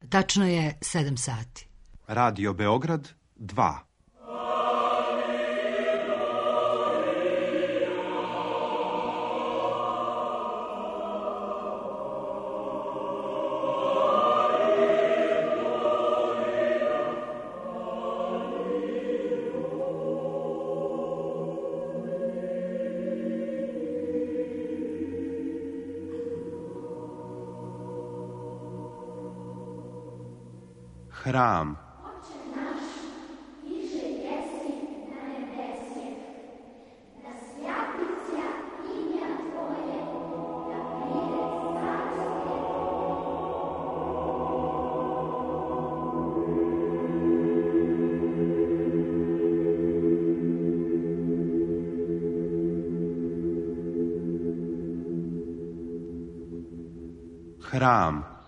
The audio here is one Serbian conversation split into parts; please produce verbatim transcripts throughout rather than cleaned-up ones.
Tačno je sedam sati. Radio Beograd dva. Hram. Hram.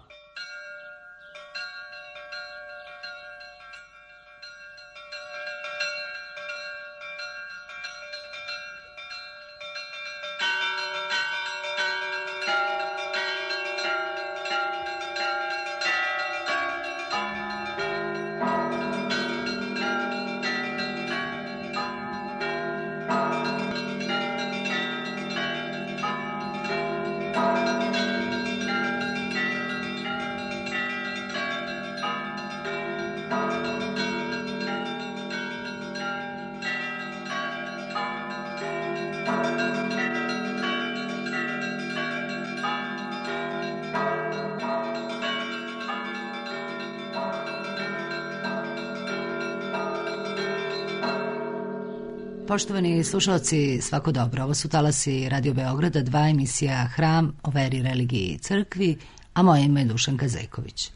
Poštovani slušalci, svako dobro. Ovo su talasi Radio Beograda, dva, emisija Hram o veri, religiji i crkvi, a moje ime je Dušanka Zejković.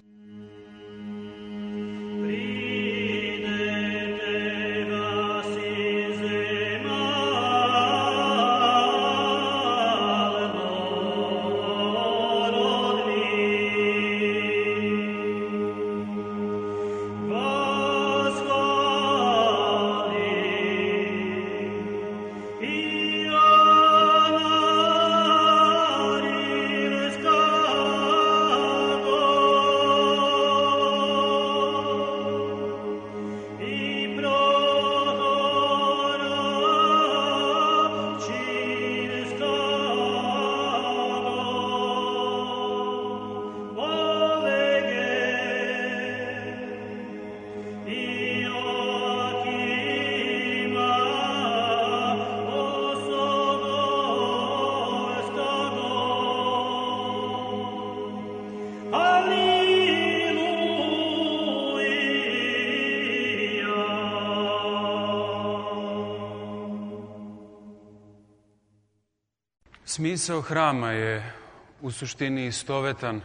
Smisao hrama je u suštini istovetan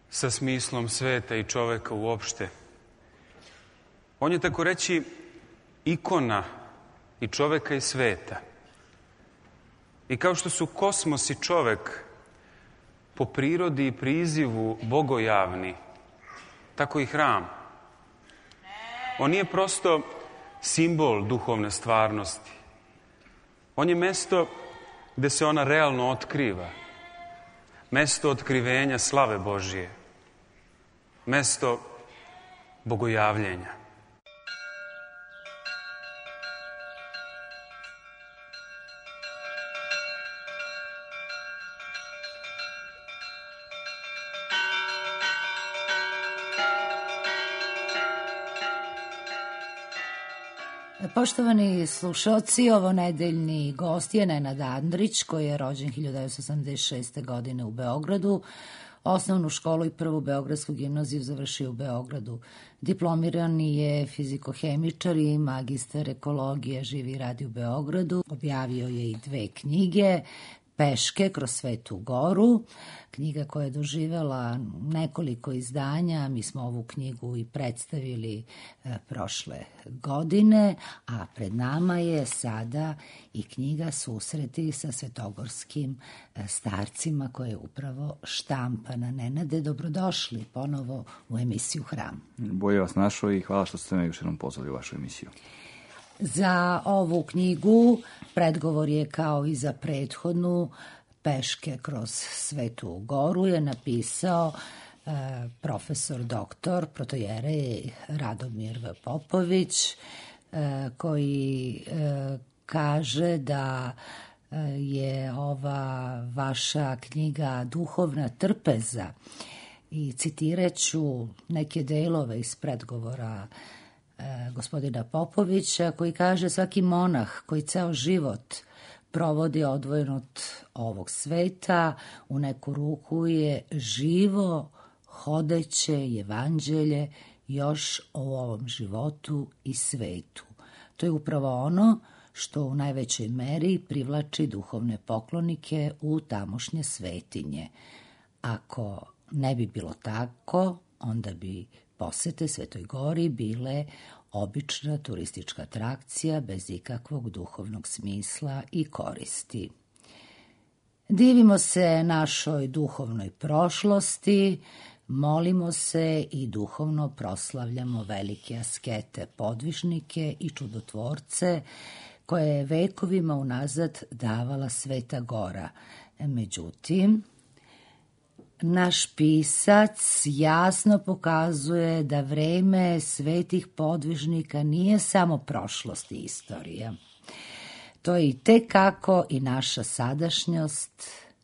sa smislom sveta i čoveka uopšte. On je, tako reći, ikona i čoveka i sveta. I kao što su kosmos i čovek po prirodi i prizivu bogojavni, tako i hram. On nije prosto simbol duhovne stvarnosti. On je mesto gde se ona realno otkriva. Mesto otkrivenja slave Božije. Mesto bogojavljenja. Poštovani slušalci, ovo nedeljni gost je Nenad Andrić, koji je rođen hiljadu devetsto osamdeset šeste. godine u Beogradu. Osnovnu školu i prvu beogradsku gimnaziju završio u Beogradu. Diplomirani je fizikohemičar i magistar ekologije, živi i radi u Beogradu. Objavio je i dve knjige, Peške kroz Svetu Goru, knjiga koja je doživela nekoliko izdanja. Mi smo ovu knjigu i predstavili e, prošle godine, a pred nama je sada i knjiga Susreti sa svetogorskim e, starcima, koja je upravo štampana. Nenade, dobrodošli ponovo u emisiju Hram. Bolje vas našao i hvala što ste me još jednom pozvali u vašu emisiju. Za ovu knjigu predgovor je kao i za prethodnu, Peške kroz Svetu Goru, je napisao profesor doktor protojerej Radomir V. Popović, koji kaže da je ova vaša knjiga duhovna trpeza i citirat ću neke delove iz predgovora gospodina Popovića koji kaže: svaki monah koji ceo život provodi odvojen od ovog sveta u neku ruku je živo hodeće evanđelje još o ovom životu i svetu. To je upravo ono što u najvećoj meri privlači duhovne poklonike u tamošnje svetinje. Ako ne bi bilo tako, onda bi posete Svetoj Gori bile obična turistička atrakcija bez ikakvog duhovnog smisla i koristi. Divimo se našoj duhovnoj prošlosti, molimo se i duhovno proslavljamo velike askete, podvižnike i čudotvorce koje je vekovima unazad davala Sveta Gora. Međutim, naš pisac jasno pokazuje da vreme svetih podvižnika nije samo prošlost i istorija. To je i tekako i naša sadašnjost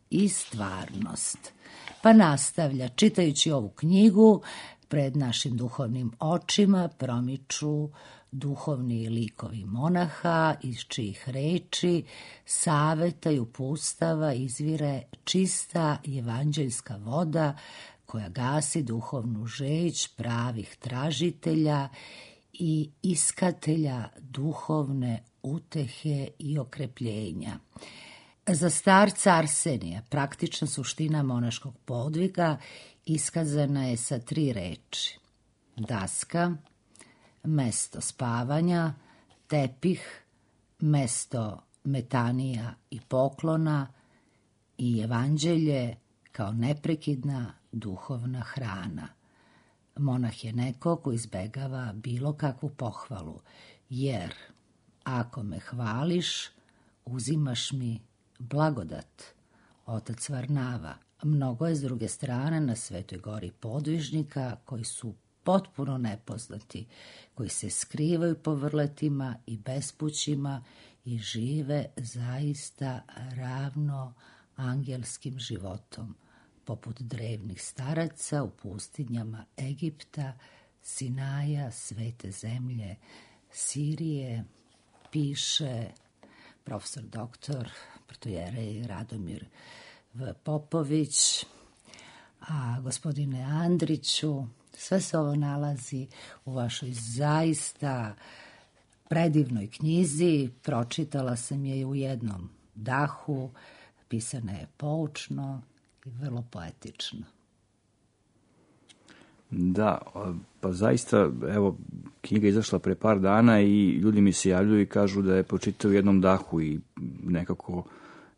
i stvarnost. Pa nastavlja, čitajući ovu knjigu, pred našim duhovnim očima promiču duhovni likovi monaha, iz čijih reči, saveta i upustava izvire čista evanđeljska voda koja gasi duhovnu žeđ pravih tražitelja i iskatelja duhovne utehe i okrepljenja. Za starca Arsenija praktična suština monaškog podviga iskazana je sa tri reči: daska, mesto spavanja, tepih, mesto metanija i poklona i evanđelje kao neprekidna duhovna hrana. Monah je neko ko izbegava bilo kakvu pohvalu, jer ako me hvališ, uzimaš mi blagodat. Otac Varnava. Mnogo je s druge strane na Svetoj Gori podvižnika koji su potpuno nepoznati, koji se skrivaju po vrletima i bespućima i žive zaista ravno angelskim životom, poput drevnih staraca u pustinjama Egipta, Sinaja, Svete zemlje, Sirije, piše profesor doktor protojerej Radomir V. Popović. A gospodine Andriću, sve se ovo nalazi u vašoj zaista predivnoj knjizi. Pročitala sam je u jednom dahu, pisana je poučno i vrlo poetično. Da, pa zaista, evo, knjiga je izašla pre par dana i ljudi mi se javljaju i kažu da je pročitao u jednom dahu i nekako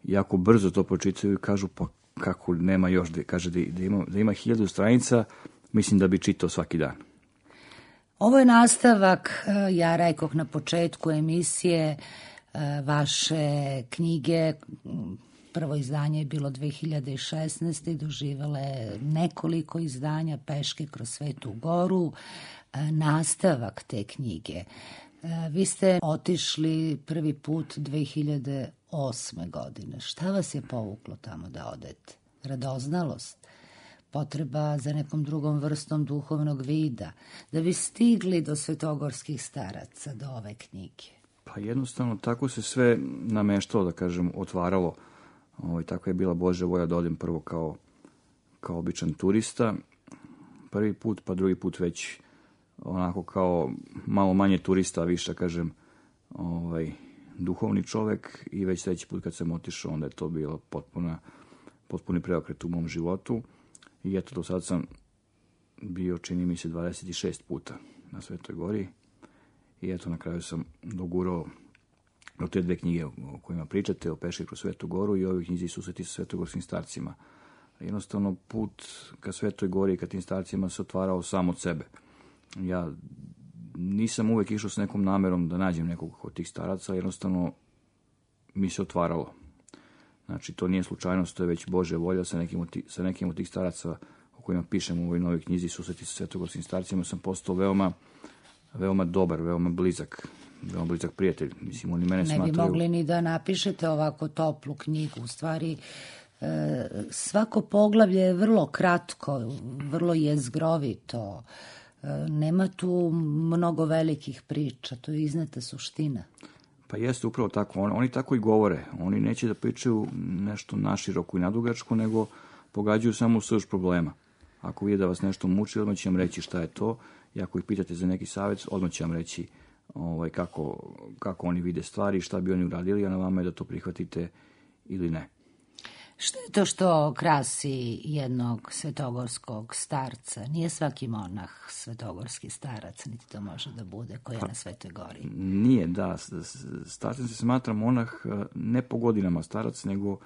jako brzo to pročitaju i kažu pa kako nema još, da, kaže da ima, da ima hiljadu stranica, mislim da bi čitao svaki dan. Ovo je nastavak, ja rekoh na početku emisije, vaše knjige. Prvo izdanje je bilo dve hiljade šesnaeste. i doživele nekoliko izdanja peške kroz Svetu Goru. Nastavak te knjige. Vi ste otišli prvi put dve hiljade osme. godine. Šta vas je povuklo tamo da odete? Radoznalost? Potreba za nekom drugom vrstom duhovnog vida? Da bi stigli do svetogorskih staraca, do ove knjige? Pa jednostavno tako se sve nameštalo, da kažem, otvaralo. Ovo, tako je bila Božja volja da odem prvo kao, kao običan turista. Prvi put, pa drugi put već onako kao malo manje turista, a više, kažem, ovaj, duhovni čovek. I već sledeći put kad sam otišao, onda je to bilo potpuna, potpuni preokret u mom životu. I eto, do sad sam bio, čini mi se, dvadeset šest puta na Svetoj Gori. I eto, na kraju sam dogurao o te dve knjige o kojima pričate, o peški kroz Svetu Goru i ovih knjizi susreti sa svetogorskim starcima. Jednostavno, put ka Svetoj Gori i ka tim starcima se otvarao sam od sebe. Ja nisam uvek išao s nekom namerom da nađem nekog od tih staraca, jednostavno mi se otvaralo. Znači, to nije slučajnost, to je već Božja volja sa nekim od tih, sa nekim od tih staraca o kojima pišem u ovoj novoj knjizi Susreti sa svetogorskim starcima, sam postao veoma, veoma dobar, veoma blizak, veoma blizak prijatelj. Mislim, oni mene ne smatraju... bi mogli ni da napišete ovako toplu knjigu. U stvari, e, svako poglavlje je vrlo kratko, vrlo jezgrovito. E, nema tu mnogo velikih priča, to je izneta suština. Pa jeste upravo tako. Oni, oni tako i govore. Oni neće da pričaju nešto naširoko i nadugačko, nego pogađaju samo u srž problema. Ako vide da vas nešto muči, odmah će vam reći šta je to. I ako ih pitate za neki savjet, odmah će vam reći ovaj, kako, kako oni vide stvari, šta bi oni uradili, a na vama je da to prihvatite ili ne. Što je to što krasi jednog svetogorskog starca? Nije svaki monah svetogorski starac, niti to može da bude, koji je pa, na Svetoj gori. Nije, da. Starcem se smatra monah ne po godinama starac, nego,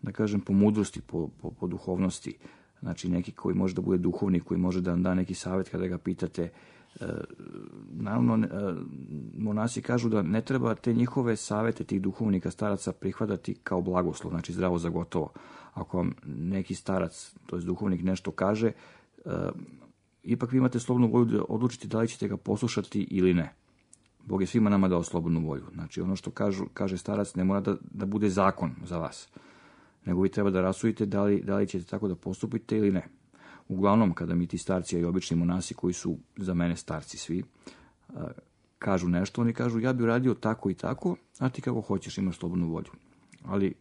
da kažem, po mudrosti, po, po, po duhovnosti. Znači, neki koji može da bude duhovnik, koji može da vam da neki savjet kada ga pitate. E, naravno, e, monasi kažu da ne treba te njihove savjete, tih duhovnika, staraca, prihvatati kao blagoslov, znači zdravo za gotovo. Ako vam neki starac, to je duhovnik, nešto kaže, e, ipak vi imate slobodnu volju da odlučite da li ćete ga poslušati ili ne. Bog je svima nama dao slobodnu volju. Znači, ono što kažu, kaže starac ne mora da, da bude zakon za vas, nego vi treba da rasudite da li, da li ćete tako da postupite ili ne. Uglavnom, kada mi ti starci i obični monasi, koji su za mene starci svi, kažu nešto, oni kažu ja bi uradio tako i tako, a ti kako hoćeš, imaš slobodnu volju. Ali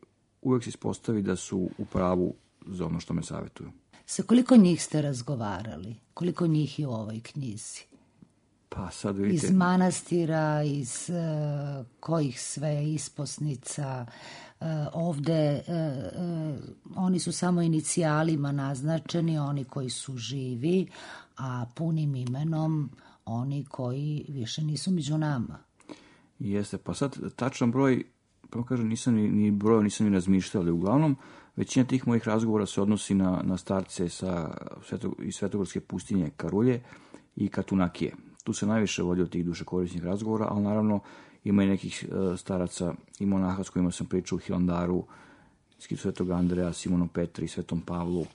uvek se ispostavi da su u pravu za ono što me savjetuju. Sa koliko njih ste razgovarali? Koliko njih je u ovoj knjizi? Pa sad vidite... Iz manastira, iz uh, kojih sve isposnica, uh, ovde uh, uh, oni su samo inicijalima naznačeni, oni koji su živi, a punim imenom oni koji više nisu među nama. Jeste, pa sad tačan broj, prvo kažem, nisam ni, ni broj, nisam ni razmišljao, ali uglavnom većina tih mojih razgovora se odnosi na, na starce sa sveto, iz Svetogorske pustinje Karulje i Katunakije. Tu se najviše vodi od tih dušekorisnih razgovora, ali naravno ima i nekih staraca i monaha s kojima sam pričao u Hilandaru, Svetog Andreja, Simonom Petri, Svetom Pavlu.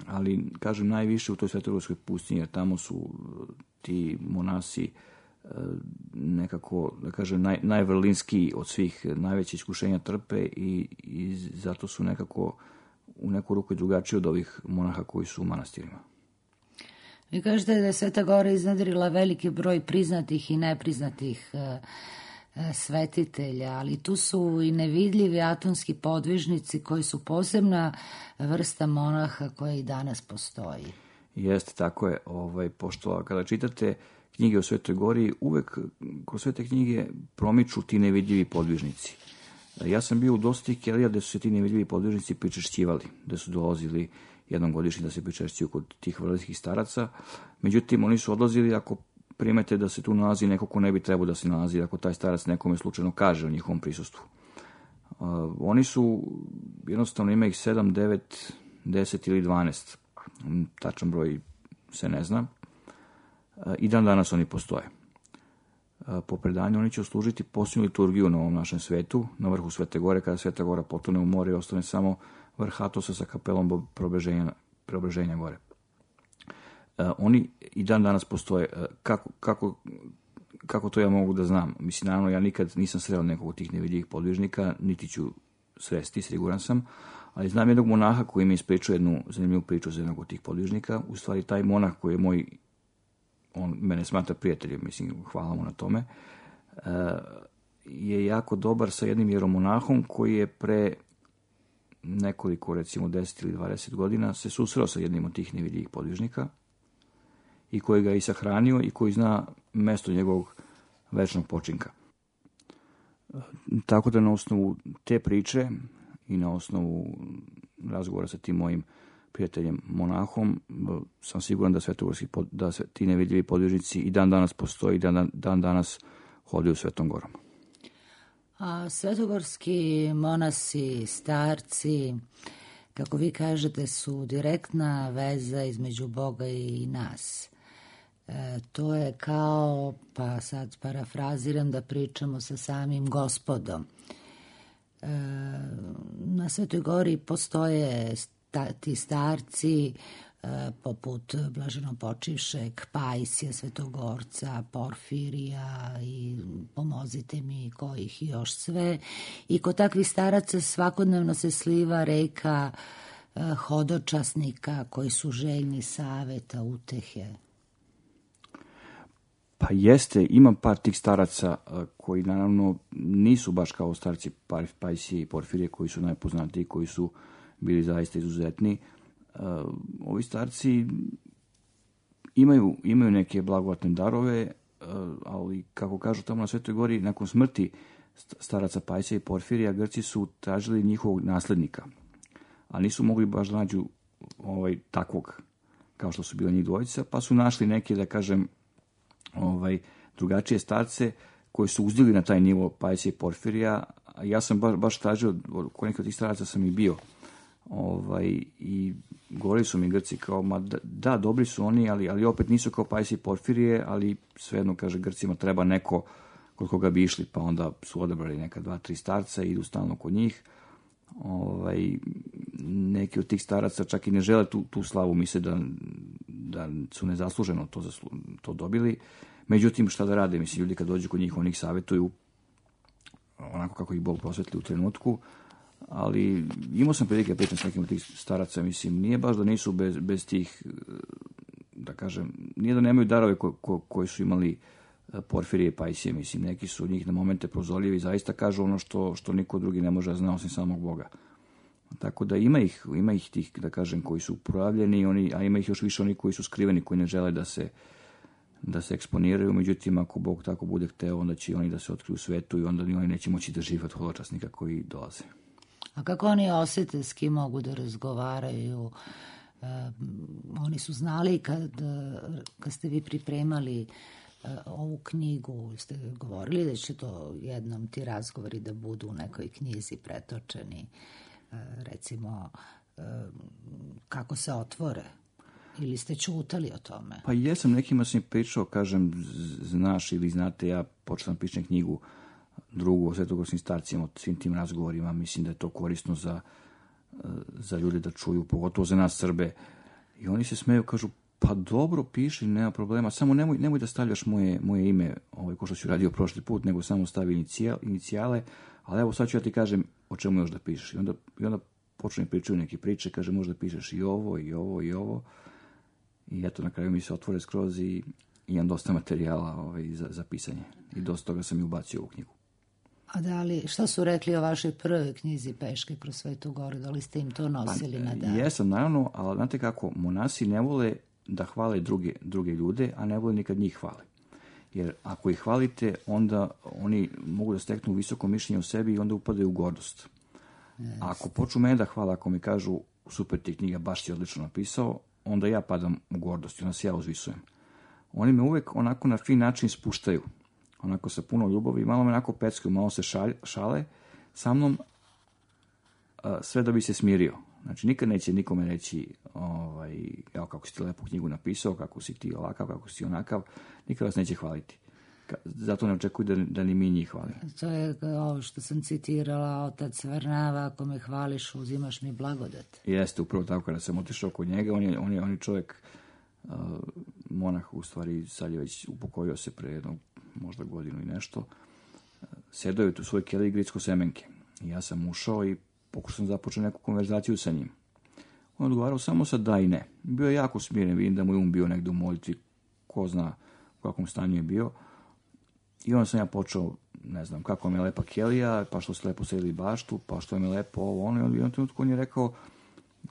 Ali, kažem, najviše u toj Svetogorskoj pustinji, jer tamo su ti monasi nekako, da kažem, naj, najvrlinskiji od svih, najveće iskušenja trpe i, i zato su nekako u neku ruku i drugačiji od ovih monaha koji su u manastirima. Vi kažete da je Sveta Gora iznedrila veliki broj priznatih i nepriznatih e, e, svetitelja, ali tu su i nevidljivi atonski podvižnici koji su posebna vrsta monaha koja i danas postoji. Jeste, tako je. Ovaj, pošto kada čitate knjige o Svetoj Gori, uvek kroz sve te knjige promiču ti nevidljivi podvižnici. Ja sam bio u dosta tih kelija gde su se ti nevidljivi podvižnici pričešćivali, gde su dolazili jednom godišnje da se pričešćuju kod tih vrlinskih staraca. Međutim, oni su odlazili ako primete da se tu nalazi neko ko ne bi trebao da se nalazi, ako taj starac nekome slučajno kaže o njihovom prisustvu. Uh, oni su, jednostavno ima ih sedam, devet, deset ili dvanaest. Tačan broj se ne zna. Uh, I dan danas oni postoje. Uh, po predanju oni će služiti posljednju liturgiju na ovom našem svetu, na vrhu Svete Gore, kada Sveta Gora potone u more i ostane samo vrh Atosa sa kapelom preobraženja, preobraženja gore. Uh, oni i dan danas postoje. Uh, kako, kako, kako to ja mogu da znam? Mislim, naravno, ja nikad nisam sreo nekog od tih nevidljivih podvižnika, niti ću sresti, siguran sam, ali znam jednog monaha koji mi ispričao jednu zanimljivu priču za jednog od tih podvižnika. U stvari, taj monah koji je moj, on mene smatra prijateljem, mislim, hvala mu na tome, uh, je jako dobar sa jednim jeromonahom koji je pre nekoliko, recimo deset ili dvadeset godina se susreo sa jednim od tih nevidljivih podvižnika i koji ga je i sahranio i koji zna mesto njegovog večnog počinka. Tako da na osnovu te priče i na osnovu razgovora sa tim mojim prijateljem monahom sam siguran da svetogorski da se ti nevidljivi podvižnici i dan danas postoji i dan, dan danas hodaju Svetom Gorom. A svetogorski monasi, starci, kako vi kažete, su direktna veza između Boga i nas. E, to je kao, pa sad parafraziram, da pričamo sa samim Gospodom. E, na Svetoj Gori postoje ta, ti starci, poput blaženopočivšeg Pajsija, Svetogorca, Porfirija i pomozite mi kojih još sve. I kod takvih staraca svakodnevno se sliva reka hodočasnika koji su željni saveta, utehe. Pa jeste, imam par tih staraca koji naravno nisu baš kao starci Pajsije i Porfirije koji su najpoznatiji, koji su bili zaista izuzetni. Uh, ovi starci imaju, imaju neke blagodatne darove, uh, ali kako kažu tamo na Svetoj Gori, nakon smrti staraca Pajsija i Porfirija, Grci su tražili njihovog naslednika, a nisu mogli baš da nađu ovaj, takvog kao što su bili njih dvojica, pa su našli neke, da kažem, ovaj, drugačije starce koji su uzdjeli na taj nivo Pajsija i Porfirija. Ja sam baš, baš tražio, kod nekih od tih staraca sam i bio, ovaj, i govorili su mi Grci kao, ma da, da dobri su oni, ali, ali opet nisu kao Pajsije i Porfirije, ali svejedno, kaže, Grcima treba neko kod koga bi išli, pa onda su odabrali neka dva, tri starca i idu stalno kod njih. Ovaj, neki od tih staraca čak i ne žele tu, tu slavu, misle da, da su nezasluženo to, zaslu, to dobili. Međutim, šta da rade, mislim, ljudi kad dođu kod njih, oni ih savjetuju onako kako ih Bog prosvetli u trenutku. Ali imao sam prilike pričam s nekim od tih staraca, mislim, nije baš da nisu bez, bez tih, da kažem, nije da nemaju darove ko, ko, koji su imali Porfirije i Pajsije, mislim, neki su od njih na momente prozorljivi i zaista kažu ono što, što niko drugi ne može da zna osim samog Boga. Tako da ima ih, ima ih tih, da kažem, koji su projavljeni, oni, a ima ih još više oni koji su skriveni, koji ne žele da se, da se eksponiraju, međutim, ako Bog tako bude hteo, onda će oni da se otkriju u svetu i onda oni neće moći da žive od hodočasnika koji dolaze. A kako oni osjete, s kim mogu da razgovaraju? E, oni su znali kad, kad ste vi pripremali e, ovu knjigu, ste govorili da će to jednom ti razgovori da budu u nekoj knjizi pretočeni, e, recimo, e, kako se otvore? Ili ste čutali o tome? Pa jesam, nekima sam pričao, kažem, znaš ili znate, ja počnem pišem knjigu drugu o svetogorskim starcima, o svim tim razgovorima, mislim da je to korisno za, za ljude da čuju, pogotovo za nas Srbe. I oni se smeju, kažu, pa dobro, piši, nema problema, samo nemoj, nemoj da stavljaš moje, moje ime, ovaj, ko što si radio prošli put, nego samo stavi inicijal, inicijale, ali evo sad ću ja ti kažem o čemu još da pišeš. I onda, i onda počne pričaju neke priče, kaže, možda pišeš i ovo, i ovo, i ovo. I eto, na kraju mi se otvore skroz i imam dosta materijala ovaj, za, za pisanje. I dosta toga sam i ubacio u knjigu. A da li, šta su rekli o vašoj prvoj knjizi Peške kroz Svetu Goru? Da li ste im to nosili pa, na dan? Jesam, naravno, ali znate kako, monasi ne vole da hvale druge, druge ljude, a ne vole nikad njih hvale. Jer ako ih hvalite, onda oni mogu da steknu visoko mišljenje o sebi i onda upadaju u gordost. Yes. Ako počnu mene da hvala, ako mi kažu super ti knjiga, baš si odlično napisao, onda ja padam u gordost i onda se ja uzvisujem. Oni me uvek onako na fin način spuštaju. Onako sa puno ljubavi, malo me onako peckaju, malo se šalje, šale sa mnom, a, sve da bi se smirio. Znači, nikad neće nikome reći, ovaj, evo kako si ti lepu knjigu napisao, kako si ti ovakav, kako si onakav, nikad vas neće hvaliti. Zato ne očekuju da, da ni mi njih hvalimo. To je ovo što sam citirala, otac Varnava, ako me hvališ, uzimaš mi blagodat. Jeste, upravo tako, kada sam otišao kod njega, on je, on je, on je čovjek, uh, monah, u stvari, sad je već upokojio se pre jednog, možda godinu i nešto, uh, sedao je tu svoj keli i gricko semenke. I ja sam ušao i pokušao sam započeti neku konverzaciju sa njim. On odgovarao samo sa da i ne. Bio je jako smiren, vidim da mu je um bio negdje u molitvi, ko zna u kakvom stanju je bio. I onda sam ja počeo, ne znam, kako mi je lepa kelija, pa što se lepo sedili baštu, pa što mi je lepo ovo, ono. I onda u jednom trenutku on je rekao,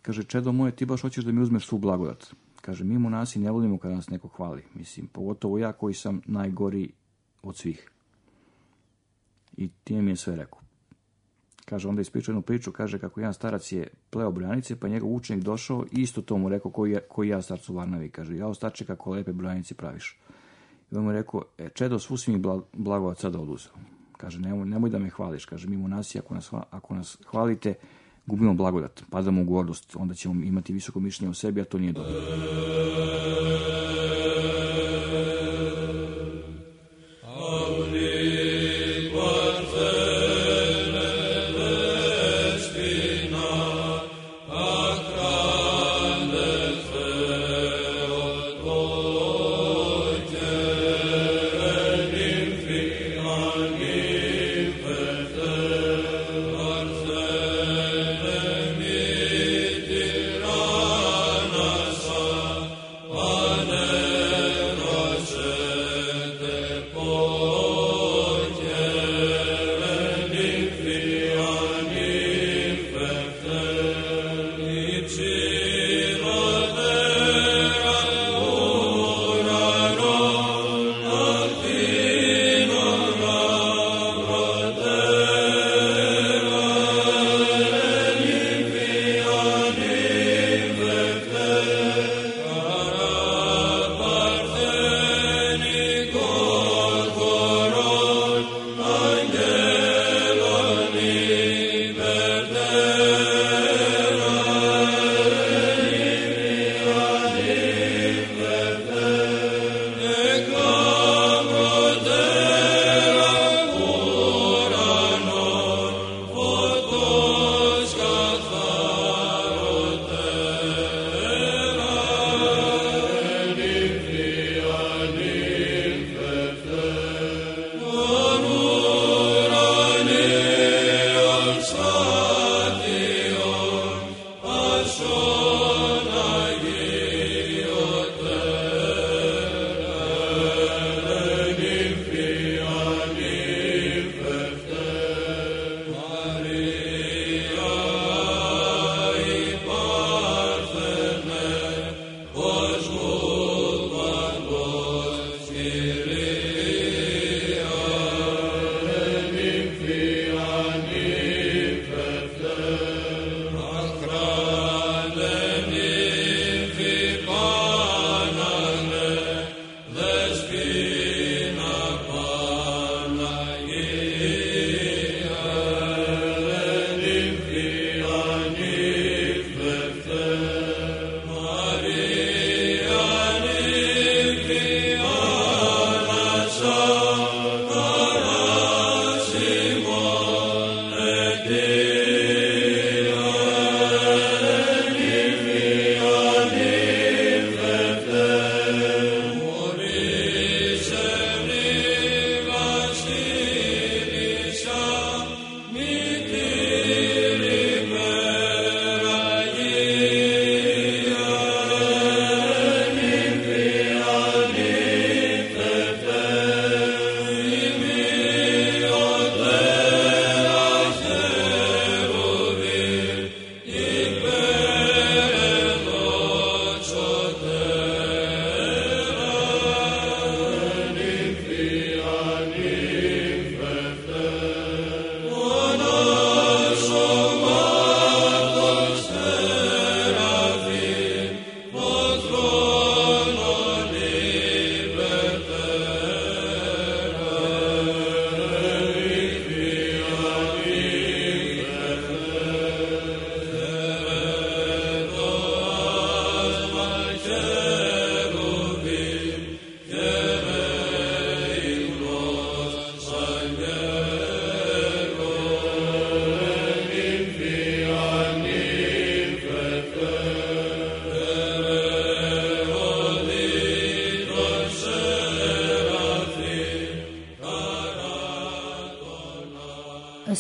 kaže, čedo moje, ti baš hoćeš da mi uzmeš svu blagodat. Kaže, mi monasi ne volimo kada nas neko hvali. Mislim, pogotovo ja koji sam najgori od svih. I time mi je sve rekao. Kaže, onda ispričao jednu priču, kaže kako jedan starac je pleo brojanice, pa njegov učenik došao i isto to mu rekao koji, je, koji ja starcu Varnavi. Kaže, ja starče kako lepe brojanice praviš. I on mu rekao, e, čedo, svu si mi blagodat sada oduzeo. Kaže, nemoj, nemoj da me hvališ. Kaže, mi monasi, ako nas, ako nas hvalite, gubimo blagodat, padamo u gordost, onda ćemo imati visoko mišljenje o sebi, a to nije dobro. Akra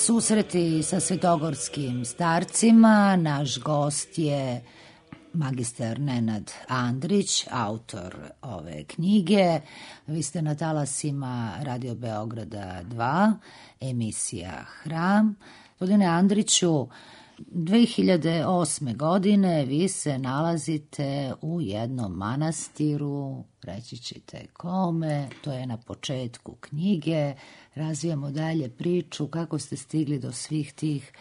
Susreti sa svetogorskim starcima. Naš gost je magistar Nenad Andrić, autor ove knjige. Vi ste na talasima Radio Beograda dva, emisija Hram. Gospodine Andriću, dve hiljade osme. godine vi se nalazite u jednom manastiru, reći ćete kome, to je na početku knjige. Razvijamo dalje priču kako ste stigli do svih tih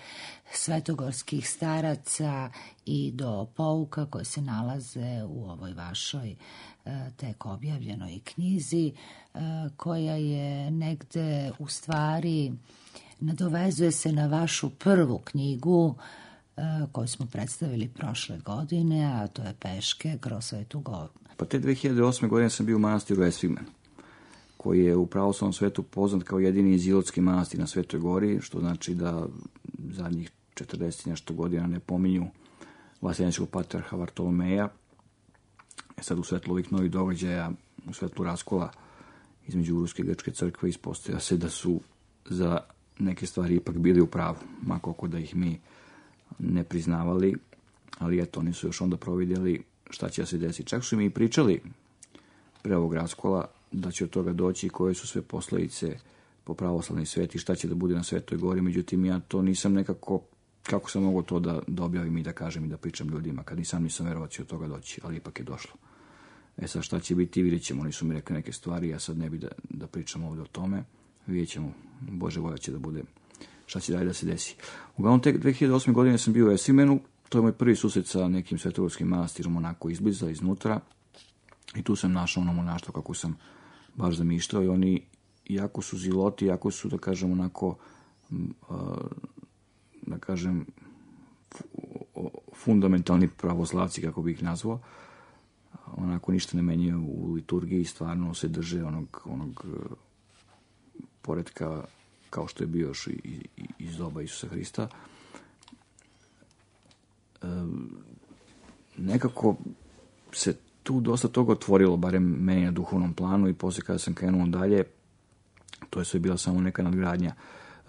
svetogorskih staraca i do pouka koje se nalaze u ovoj vašoj tek objavljenoj knjizi, koja je negde u stvari nadovezuje se na vašu prvu knjigu koju smo predstavili prošle godine, a to je Peške kroz Svetu Goru. Pa te dve hiljade osme. godine sam bio u manastiru Esvigmen, koji je u pravoslavnom svetu poznat kao jedini izilotski manastir na Svetoj Gori, što znači da zadnjih četrdeset nešto godina ne pominju vaseljenskog patrijarha Vartolomeja. E sad u svetlu ovih novih događaja, u svetlu raskola između Ruske i Grčke crkve, ispostavlja se da su za neke stvari ipak bili u pravu, ma koliko da ih mi ne priznavali, ali eto, oni su još onda providjeli šta će da se desi. Čak su mi i pričali pre ovog raskola da će od toga doći i koje su sve posledice po pravoslavni svet i šta će da bude na Svetoj Gori, međutim ja to nisam nekako, kako sam mogao to da, da objavim i da kažem i da pričam ljudima, kad nisam nisam verovao da će od toga doći, ali ipak je došlo. E sad šta će biti, vidjet ćemo, oni su mi rekli neke stvari, ja sad ne bi da, da pričam ovdje o tome, vidjet ćemo, Bože volja će da bude, šta će dalje da se desi. Uglavnom, tek dve hiljade osme. godine sam bio u Esvimenu, to je moj prvi susret sa nekim svetogorskim manastirom, onako izbliza, iznutra, i tu sam našao ono monaštvo kako sam baš zamišljao, i oni jako su ziloti, jako su, da kažem, onako, da kažem, fundamentalni pravoslavci, kako bih ih nazvao, onako ništa ne menjaju u liturgiji, stvarno se drže onog, onog poretka kao što je bio još i, i, iz doba Isusa Hrista. E, nekako se tu dosta toga otvorilo, barem meni na duhovnom planu, i poslije kada sam krenuo dalje, to je sve bila samo neka nadgradnja.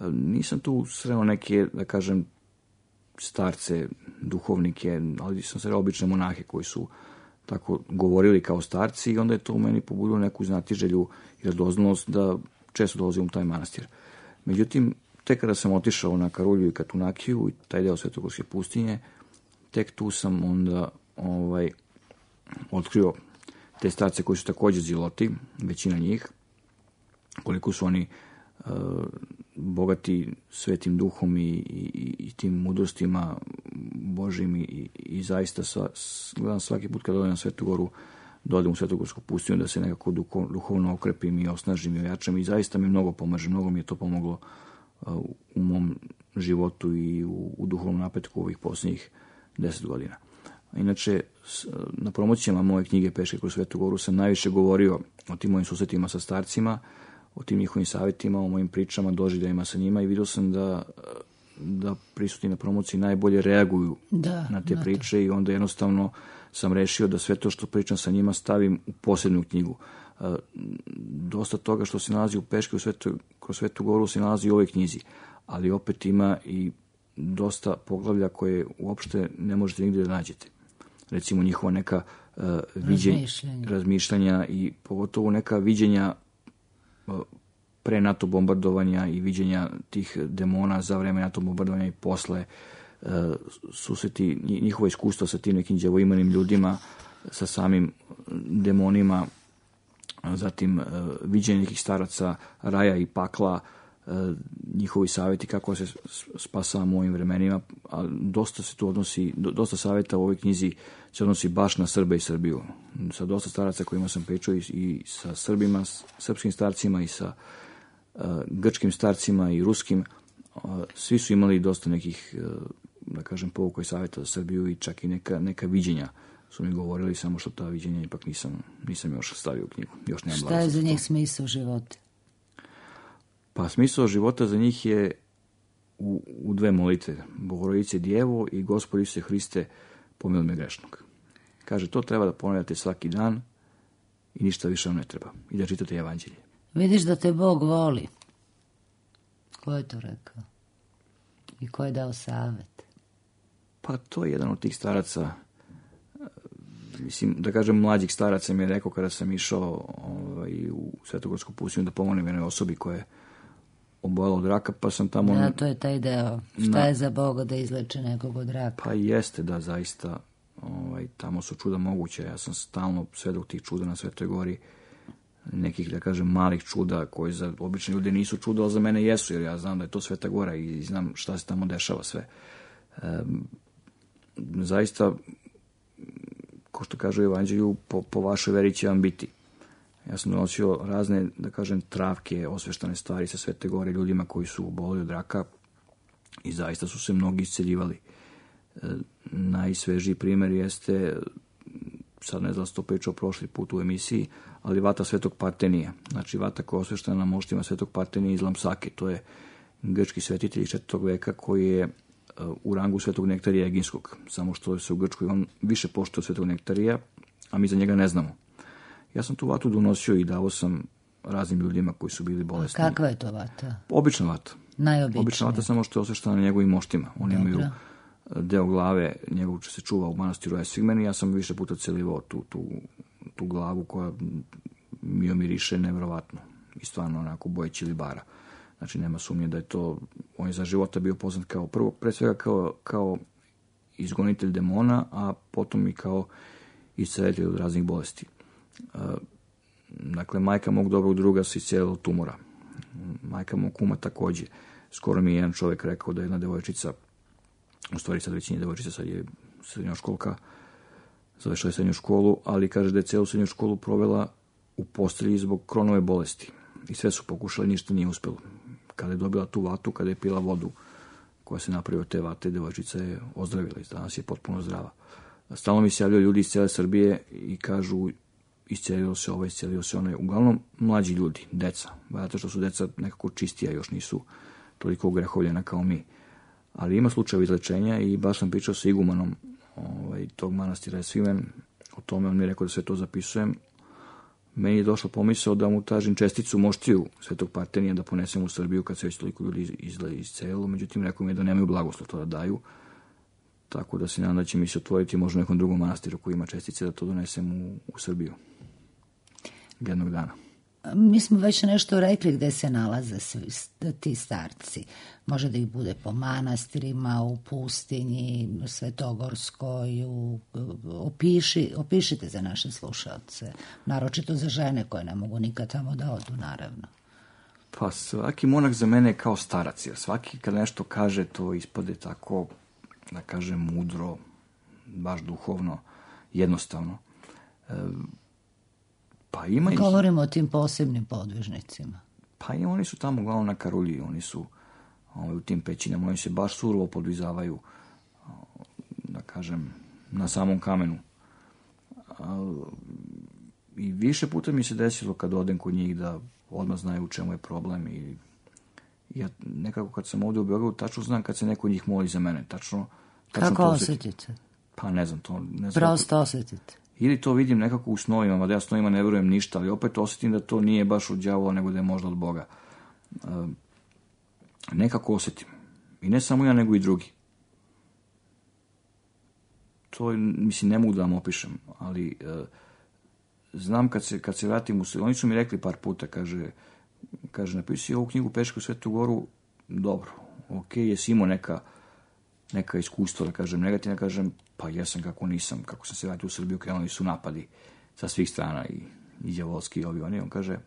E, nisam tu sreo neke, da kažem, starce, duhovnike, ali sam sreo obične monahe koji su tako govorili kao starci, i onda je to u meni pobudilo neku znatiželju i radoznalost da često dolazim u taj manastir. Međutim, tek kada sam otišao na Karulju i Katunakiju i taj deo Svetogorske pustinje, tek tu sam onda ovaj, otkrio te starce koji su također ziloti, većina njih, koliko su oni uh, bogati svetim duhom i, i, i tim mudrostima Božim, i, i zaista sva, gledam svaki put kada odem na Svetu Goru, da odem u Svetogorsku pustinju, da se nekako duhovno okrepim i osnažim i ojačam, i zaista mi mnogo pomaže, mnogo mi je to pomoglo uh, u mom životu i u, u duhovnom napretku ovih posljednjih deset godina. Inače, na promocijama moje knjige Peške kroz Svetu Goru sam najviše govorio o tim mojim susretima sa starcima, o tim njihovim savjetima, o mojim pričama, doživljajima sa njima, i vidio sam da, da prisutni na promociji najbolje reaguju da, na te da, priče to. I onda jednostavno sam rešio da sve to što pričam sa njima stavim u posebnu knjigu. E, dosta toga što se nalazi u Peške u Svetu, kroz Svetu Goru se nalazi u ovoj knjizi, ali opet ima i dosta poglavlja koje uopšte ne možete nigdje da nađete. Recimo njihova neka uh, viđenja, razmišljanja. razmišljanja i pogotovo neka viđenja uh, pre NATO bombardovanja i viđenja tih demona za vreme NATO bombardovanja i posle, uh, susreti njihova iskustva sa tim nekim đavoimanim ljudima, sa samim demonima, zatim uh, viđenje nekih staraca raja i pakla, uh, njihovi savjeti kako se spasavamo u ovim vremenima, a dosta se tu odnosi, dosta savjeta u ovoj knjizi se odnosi baš na Srbe i Srbiju. Sa dosta staraca kojima sam pričao, i, i sa Srbima, srpskim starcima, i sa uh, grčkim starcima i ruskim, uh, svi su imali dosta nekih, uh, da kažem, pouka i savjeta za Srbiju, i čak i neka, neka viđenja su mi govorili, samo što ta viđenja ipak nisam, nisam još stavio u knjigu. Još nemam. Šta je za njih smisao života? Pa smisao života za njih je u, u dve molitve. Bogorodice Djevo i Gospod Isuse Hriste, pomiluj me grešnog. Kaže, to treba da ponavljate svaki dan i ništa više vam ne treba. I da čitate evanđelje. Vidiš da te Bog voli. Ko je to rekao? I ko je dao savet? Pa to je jedan od tih staraca, mislim, da kažem, mlađih staraca mi je rekao kada sam išao ovaj, u Svetogorsku pustinju da pomognem jednoj osobi koja je obolela od raka, pa sam tamo... Da, to je taj deo. Šta na... je za Boga da izleče nekog od raka? Pa jeste, da, zaista, ovaj, tamo su čuda moguće. Ja sam stalno svedok tih čuda na Svetoj Gori, nekih, da kažem, malih čuda koji za obične ljude nisu čuda, ali za mene jesu, jer ja znam da je to Sveta Gora i znam šta se tamo dešava sve. E, zaista, ko što kaže u Evanđelju, po, po vašoj veri će vam biti. Ja sam donosio razne, da kažem, travke, osveštane stvari sa Svete Gore ljudima koji su oboleli od raka i zaista su se mnogi isceljivali. E, najsvežiji primjer jeste, sad ne znam sto pričao prošli put u emisiji, ali vata Svetog Partenija. Znači vata koja je osveštena na moštima Svetog Partenija iz Lamsake. To je grčki svetitelj iz četvrtog veka koji je u rangu Svetog Nektarija Eginskog. Samo što se u Grčkoj on više poštuje od Svetog Nektarija, a mi za njega ne znamo. Ja sam tu vatu donosio i dao sam raznim ljudima koji su bili bolesni. A kakva je to vata? Obična vata. Najobičnija. Obična vata, samo što je osveštena na njegovim moštima. Oni Dobro. imaju deo glave, njegov se čuva u manastiru Esfigmen i ja sam više puta celivao tu, tu, tu glavu koja mi omiriše nevjerovatno. I stvarno onako bojeći libara. Znači nema sumnje da je to, on je za života bio poznat kao prvo, pre svega kao, kao izgonitelj demona, a potom i kao iscelitelj od raznih bolesti. Dakle, majka mog dobrog druga se iscelila od tumora. Majka mog kuma takođe. Skoro mi je jedan čovjek rekao da je jedna devojčica, u stvari sad već nije devojčica, sad je srednjoškolka, završila je srednju školu, ali kaže da je celu srednju školu provela u postelji zbog Kronove bolesti. I sve su pokušali, ništa nije uspelo. Kada je dobila tu vatu, kada je pila vodu koja se napravi od te vate, devojčica je ozdravila i danas je potpuno zdrava. Stalno mi se javljaju ljudi iz cijele Srbije i kažu iscelilo se ovo, iscelilo se ono. Uglavnom mlađi ljudi, deca. Zato što su deca nekako čistija, još nisu toliko ugrehovljena kao mi. Ali ima slučajeva izlečenja i baš sam pričao sa igumanom ovaj, tog manastira Esfigmen. O tome on mi je rekao da sve to zapisujem. Meni je došla pomisao da mu tražim česticu moštiju Svetog Partenija da ponesem u Srbiju kad se već toliko ljudi iscelilo. Međutim, rekao mi je da nemaju blagoslov to da daju. Tako da se nadam da će mi se otvoriti možda nekom drugom manastiru koji ima čestice da to donesem u, u Srbiju. Jednog dana. Mi smo već nešto rekli gde se nalaze svi, ti starci. Može da ih bude po manastirima, u pustinji, Svetogorskoj. U, opiši, opišite za naše slušalce. Naročito za žene koje ne mogu nikad tamo da odu, naravno. Pa svaki monak za mene je kao starac. Jer svaki kad nešto kaže to ispade tako, da kažem, mudro, baš duhovno, jednostavno. E, pa ima Govorimo ih... o tim posebnim podvižnicima. Pa i oni su tamo uglavnom na Karulji, oni su ovaj, u tim pećinama, oni se baš surovo podvizavaju, da kažem, na samom kamenu. A, i više puta mi se desilo kad odem kod njih da odmah znaju u čemu je problem i ja nekako kad sam ovdje u Beogradu tačno znam kad se neko od njih moli za mene, tačno, tačno kako osjetite? Pa ne znam to. Ne znam Prosto osjetite. Ili to vidim nekako u snovima, mada ja snovima ne verujem ništa, ali opet osjetim da to nije baš od đavola, nego da je možda od Boga. E, nekako osjetim. I ne samo ja, nego i drugi. To, mislim, ne mogu da vam opišem, ali e, znam kad se, kad se vratim u Srbiju, oni su mi rekli par puta, kaže, kaže napisi ovu knjigu Peške u Svetu Goru, dobro, ok, jesi imao neka, neka iskustva, da kažem, negativna, kažem, pa jesam kako nisam, kako sam se vratio u Srbiju, krenuli su napadi sa svih strana i, i đavolski i ovi oni, on kaže,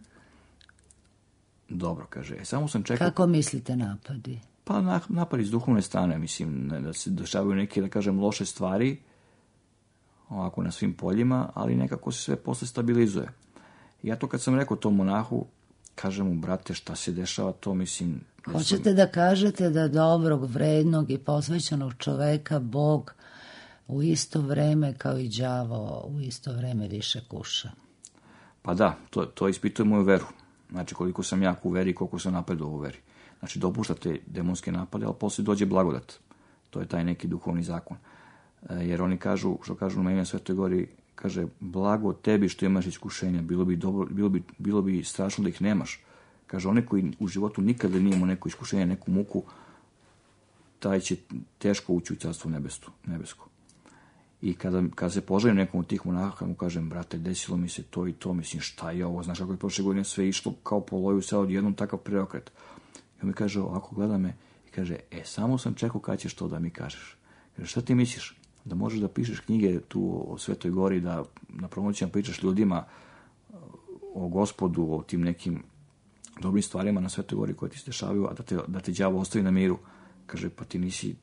dobro, kaže, samo sam čekao... Kako mislite napadi? Pa na, napadi iz duhovne strane, mislim, da se dešavaju neke, da kažem, loše stvari, ovako na svim poljima, ali nekako se sve posle stabilizuje. Ja to kad sam rekao tom monahu, kažem mu, brate, šta se dešava, to mislim... Hoćete sam... da kažete da dobrog, vrednog i posvećenog čoveka Bog u isto vreme kao i đavo u isto vreme više kuša? Pa da, to, to ispituje moju veru. Znači, koliko sam jak u veri i koliko sam napredao u veri. Znači, dopuštate demonske napade, ali posle dođe blagodat. To je taj neki duhovni zakon. Jer oni kažu, što kažu na ime Svetoj Gori, kaže, blago tebi što imaš iskušenja, bilo bi, dobro, bilo bi, bilo bi strašno da ih nemaš. Kaže, one koji u životu nikada nije imao neko iskušenje, neku muku, taj će teško ući u carstvo nebesko. nebesko. I kada, kada se poželim nekom od tih monaha, mu kažem, brate, desilo mi se to i to, mislim, šta je ovo, znaš kako je prošle godine sve išlo kao po loju, sad odjednom takav preokret. I on mi kaže, ovako gleda me i kaže, e, samo sam čekao kada ćeš to da mi kažeš. Kaže, šta ti misliš? Da možeš da pišeš knjige tu o Svetoj Gori, da na promocijama pričaš ljudima o Gospodu, o tim nekim dobrim stvarima na Svetoj Gori koje ti se dešavaju, a da te, da te đavo ostavi na miru. Kaže, pa ti nisi,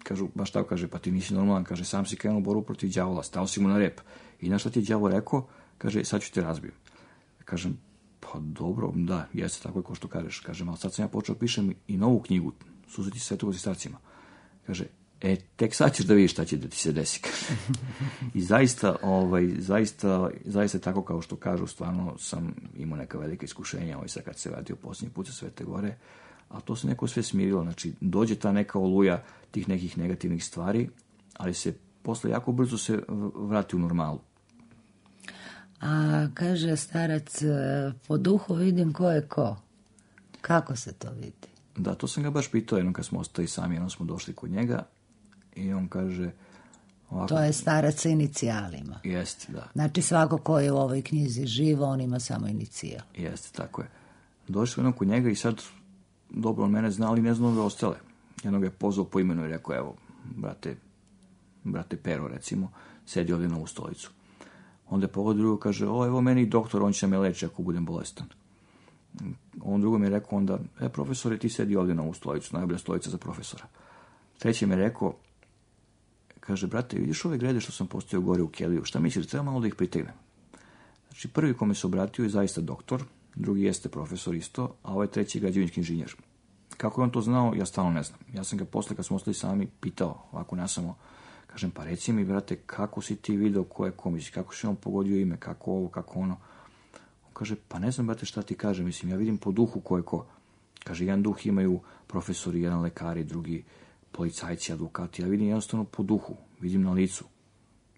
kažu, baš tako kaže, pa ti nisi normalan, kaže, sam si krenuo borbu protiv đavola, stao si mu na rep. I znaš šta ti je đavo rekao? Kaže, sad ću te razbijem. Kažem, pa dobro, da, jeste tako je ko što kažeš. Kažem, ali sad sam ja počeo pišem i novu knjigu, Susreti Svetog s starcima. Kaže, e, tek sad ćeš da vidiš šta će da ti se desi. I zaista, ovaj, zaista, zaista tako kao što kažu, stvarno sam imao neka velika iskušenja, ovaj sad kad se vratio posljednji put sa Svete Gore, a to se neko sve smirilo. Znači, dođe ta neka oluja tih nekih negativnih stvari, ali se posle jako brzo se vrati u normalu. A kaže starac, po duhu vidim ko je ko. Kako se to vidi? Da, to sam ga baš pitao jednom kad smo ostali sami, jednom smo došli kod njega i on kaže... Ovako, to je starac sa inicijalima. Jeste, da. Znači svako ko je u ovoj knjizi živo, on ima samo inicijal. Jeste, tako je. Došli smo jednom kod njega i sad dobro on mene zna, ali ne znam ove ostale. Jednog je pozvao po imenu i rekao, evo, brate, brate Pero, recimo, sedi ovdje na ovu stolicu. Onda je pogledao drugo, kaže, o, evo meni doktor, on će me leči ako budem bolestan. On drugo mi je rekao onda, e, profesore, ti sedi ovdje na ovu stolicu, najbolja stolica za profesora. Treći mi je rekao, kaže, brate, vidiš ove grede što sam postavio gore u keliju, šta misliš, treba malo da ih pritegnem? Znači, prvi kome se obratio je zaista doktor, drugi jeste profesor isto, a ovaj treći je građevinski inženjer. Kako je on to znao, ja stalno ne znam. Ja sam ga posle, kad smo ostali sami, pitao, ovako nasamo, kažem, pa reci mi, brate, kako si ti video ko je ko, misli, kako si on pogodio ime, kako ovo, kako ono. On kaže, pa ne znam, brate, šta ti kaže, mislim, ja vidim po duhu ko je ko. Kaže, jedan duh imaju profesori, jedan lekari, drugi policajci, advokati, ja vidim jednostavno po duhu, vidim na licu.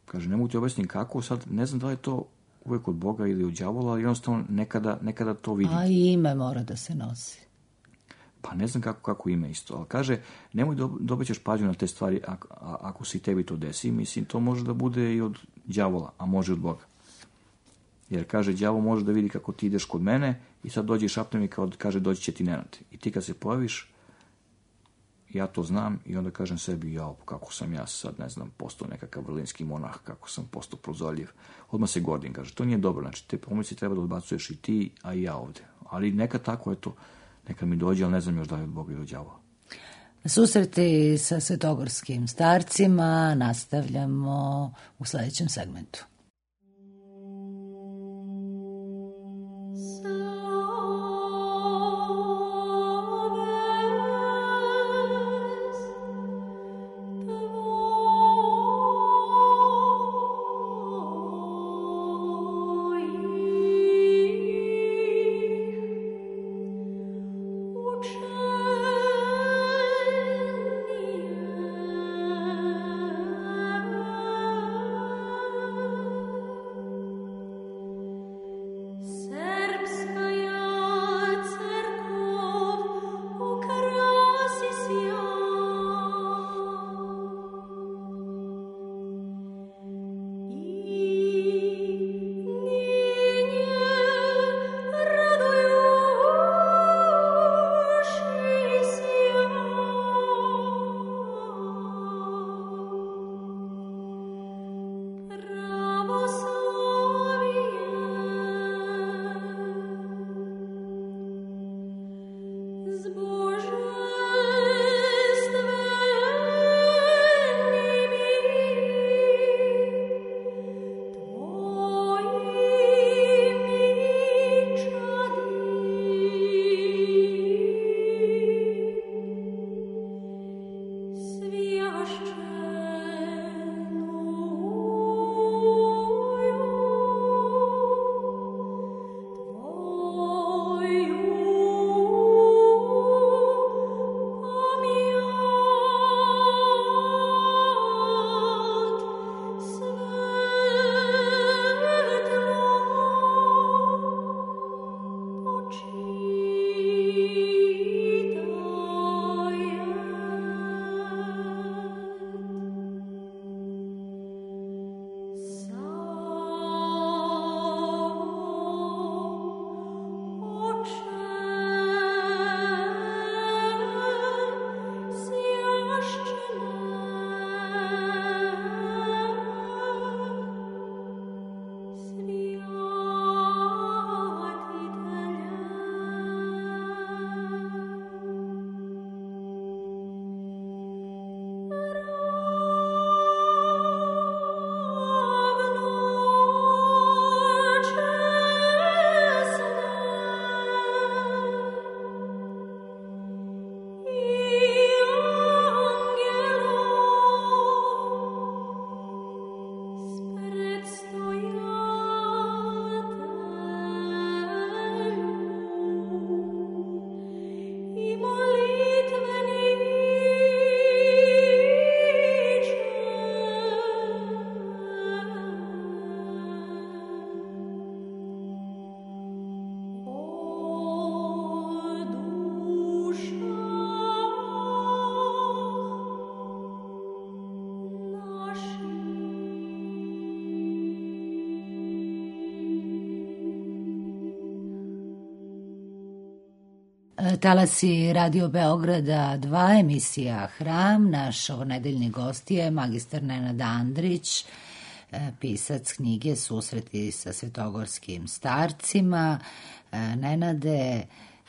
Kaže, ne mogu ti objasniti kako, sad ne znam da li je to uvijek od Boga ili od đavola, ali jednostavno nekada, nekada to vidim. A i ime mora da se nosi. Pa ne znam kako, kako ime isto, ali kaže, nemoj da dobećeš pažnju na te stvari ako, ako si tebi to desi, mislim, to može da bude i od đavola, a može od Boga. Jer kaže, đavo može da vidi kako ti ideš kod mene i sad dođe i šapne mi kao da kaže, doći će ti Nenad. I ti kad se pojaviš, ja to znam i onda kažem sebi, jao, kako sam ja sad, ne znam, postao nekakav vrlinski monah, kako sam postao prozorljiv. Odmah se gordim, kaže, to nije dobro, znači te pomisli treba da odbacuješ i ti, a i ja ovde. Ali neka tako je to, neka mi dođe, ali ne znam još da je od Boga ili od đavola. Susreti sa svetogorskim starcima nastavljamo u sljedećem segmentu. Serbs Talasi Radio Beograda dva, emisija Hram. Naš ovonedeljni gost je magistar Nenad Andrić, pisac knjige Susreti sa svetogorskim starcima. Nenade,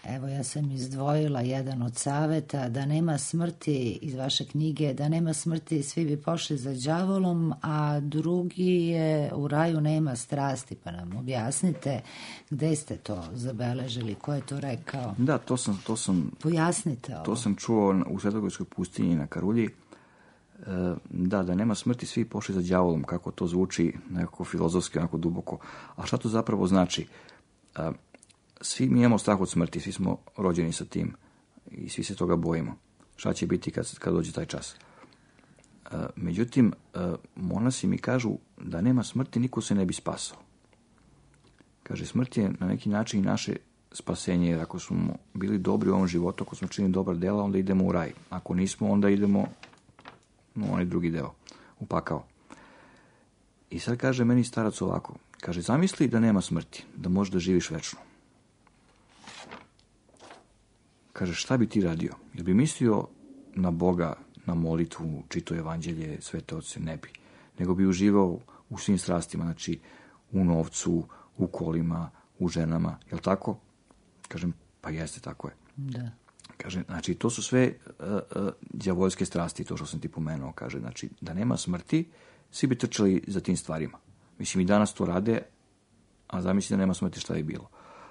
evo ja sam izdvojila jedan od saveta, da nema smrti iz vaše knjige, da nema smrti svi bi pošli za đavolom, a drugi je u raju nema strasti, pa nam objasnite gde ste to zabeležili, ko je to rekao? Da, to sam... To sam Pojasnite ovo. To sam čuo u Svetogorskoj pustinji na Karulji. Da, da nema smrti svi pošli za đavolom, kako to zvuči nekako filozofski, onako duboko. A šta to zapravo znači? Svi mi imamo strah od smrti, svi smo rođeni sa tim i svi se toga bojimo. Šta će biti kad, kad dođe taj čas? Međutim, monasi mi kažu da nema smrti, niko se ne bi spasao. Kaže, smrt je na neki način i naše spasenje, jer ako smo bili dobri u ovom životu, ako smo činili dobra dela, onda idemo u raj. Ako nismo, onda idemo u onaj drugi deo, u pakao. I sad kaže meni starac ovako, kaže, zamisli da nema smrti, da možeš da živiš večno. Kaže, šta bi ti radio? Jel bi mislio na Boga, na molitvu, čito evanđelje, svete oce? Ne bi. Nego bi uživao u svim strastima, znači u novcu, u kolima, u ženama. Jel tako? Kažem, pa jeste, tako je. Da. Kaže, znači, to su sve uh, uh, đavoljske strasti, to što sam ti pomenuo. Kaže, znači, da nema smrti, svi bi trčali za tim stvarima. Mislim, i danas to rade, a zamisli da nema smrti, šta je bilo.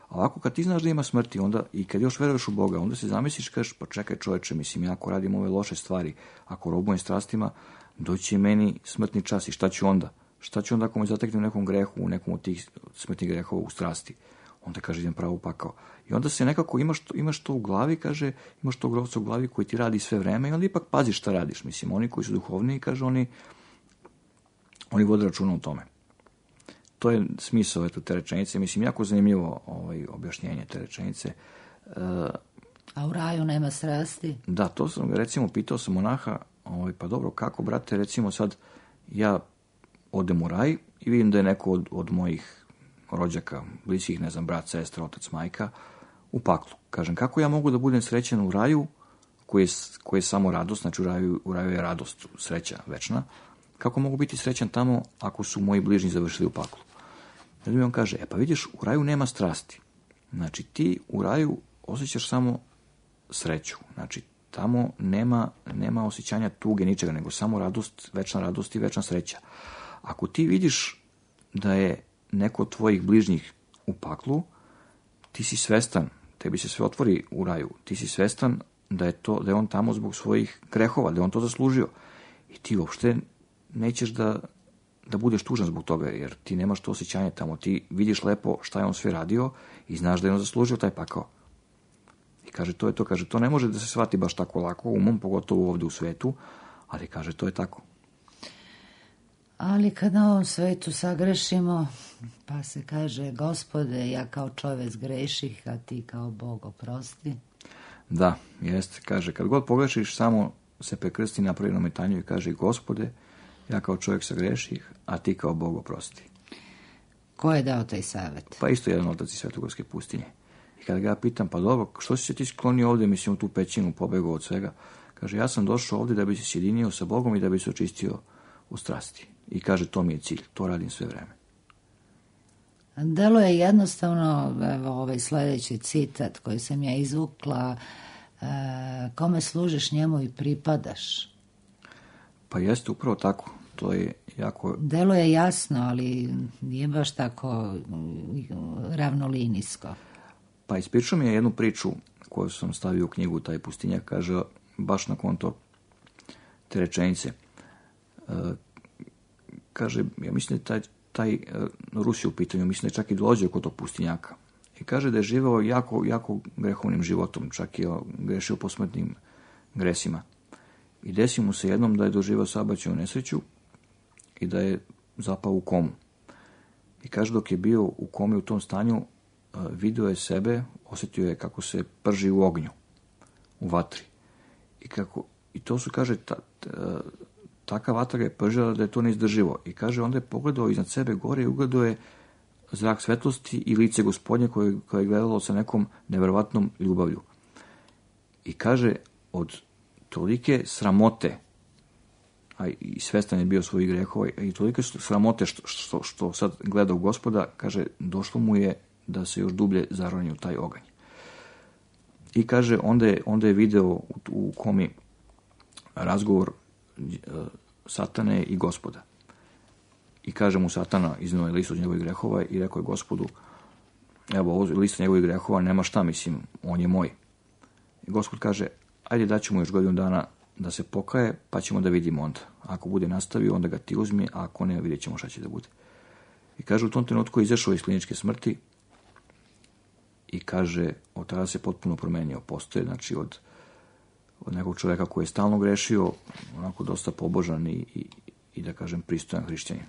A ovako, kad ti znaš da ima smrti, onda, i kad još veruješ u Boga, onda se zamisliš, kažeš, pa čekaj čoveče, mislim, ja ako radim ove loše stvari, ako robujem strastima, doći je meni smrtni čas i šta ću onda? Šta ću onda ako me zatekne u nekom grehu, u nekom od tih smrtnih grehova u strasti? Onda kaže, idem pravo u pakao. I onda se nekako, imaš to, imaš to u glavi, kaže, imaš tog lovca u glavi koji ti radi sve vreme i onda ipak paziš šta radiš. Mislim, oni koji su duhovniji, kaže, oni, oni vode računa o tome. To je smisao eto, te rečenice. Mislim, jako zanimljivo ovaj, objašnjenje te rečenice. Uh, A u raju nema strasti? Da, to sam, recimo, pitao sam monaha, ovaj, pa dobro, kako, brate, recimo sad, ja odem u raj i vidim da je neko od, od mojih rođaka, bliskih, ne znam, brat, sestra, otac, majka, u paklu. Kažem, kako ja mogu da budem srećan u raju, koji je, koji je samo radost, znači u raju, u raju je radost, sreća večna, kako mogu biti srećan tamo ako su moji bližnji završili u paklu? Jer mi on kaže, e pa vidiš, u raju nema strasti. Znači ti u raju osjećaš samo sreću. Znači tamo nema, nema osjećanja tuge ničega, nego samo radost, večna radost i večna sreća. Ako ti vidiš da je neko od tvojih bližnjih u paklu, ti si svestan, tebi se sve otvori u raju, ti si svestan da je, to, da je on tamo zbog svojih grehova, da je on to zaslužio. I ti uopšte nećeš da, da budeš tužan zbog toga, jer ti nemaš to osjećanje tamo. Ti vidiš lepo šta je on sve radio i znaš da je on zaslužio taj pakao. I kaže, to je to, kaže, to ne može da se shvati baš tako lako, umom, pogotovo ovde u svetu, ali kaže, to je tako. Ali kad na ovom svetu sagrešimo, pa se kaže, Gospode, ja kao čovek greših, a ti kao Bog oprosti. Da, jeste, kaže, kad god pogrešiš, samo se prekrsti na prvi nametanju i kaže, Gospode, ja kao čovjek sagreših, a ti kao Bog oprosti. Ko je dao taj savjet? Pa isto jedan otac iz Svetogorske pustinje. I kada ga ja pitam, pa dobro, što si se ti sklonio ovde, mislim, u tu pećinu, pobegao od svega? Kaže, ja sam došao ovde da bi se sjedinio sa Bogom i da bi se očistio u strasti. I kaže, to mi je cilj, to radim sve vreme. Delo je jednostavno, evo, ovaj sledeći citat koji sam ja izvukla, e, kome služiš, njemu i pripadaš. Pa jeste upravo tako, to je jako... Delo je jasno, ali nije baš tako ravnolinijsko. Pa ispričao mi je jednu priču koju sam stavio u knjigu, taj pustinjak, kaže, baš na konto te rečenice. E, kaže, ja mislim da taj, taj Rus je u pitanju, mislim da je čak i dolazio kod tog pustinjaka. I kaže da je živeo jako, jako grehovnim životom, čak i grešio posmrtnim gresima. I desi mu se jednom da je doživao saobraćajnu nesreću i da je zapao u komu. I kaže, dok je bio u komi u tom stanju, video je sebe, osjetio je kako se prži u ognju, u vatri. I, kako, i to su, kaže, ta, ta, taka vatra je pržila da je to neizdrživo. I kaže, onda je pogledao iznad sebe gore i ugledao je zrak svetlosti i lice Gospodnje koje, koje je gledalo sa nekom neverovatnom ljubavlju. I kaže, od tolike sramote, a i svestan je bio svojih grehova, i tolike sramote što, što, što sad gleda u Gospoda, kaže, došlo mu je da se još dublje zaroni u taj oganj. I kaže, onda je, onda je video u, u komi razgovor uh, Satane i Gospoda. I kaže mu Satana, iznio je list od njegovih grehova i rekao je Gospodu, evo, ovo list njegovih grehova, nema šta, mislim, on je moj. I Gospod kaže, ajde daću mu još godinu dana da se pokaje, pa ćemo da vidimo onda. Ako bude nastavio, onda ga ti uzmi, a ako ne, vidjet ćemo šta će da bude. I kaže, u tom trenutku je izašao iz kliničke smrti i kaže, od tada se potpuno promenio. Postoje, znači, od, od nekog čoveka koji je stalno grešio, onako dosta pobožan i, i, i da kažem, pristojan hrišćanin.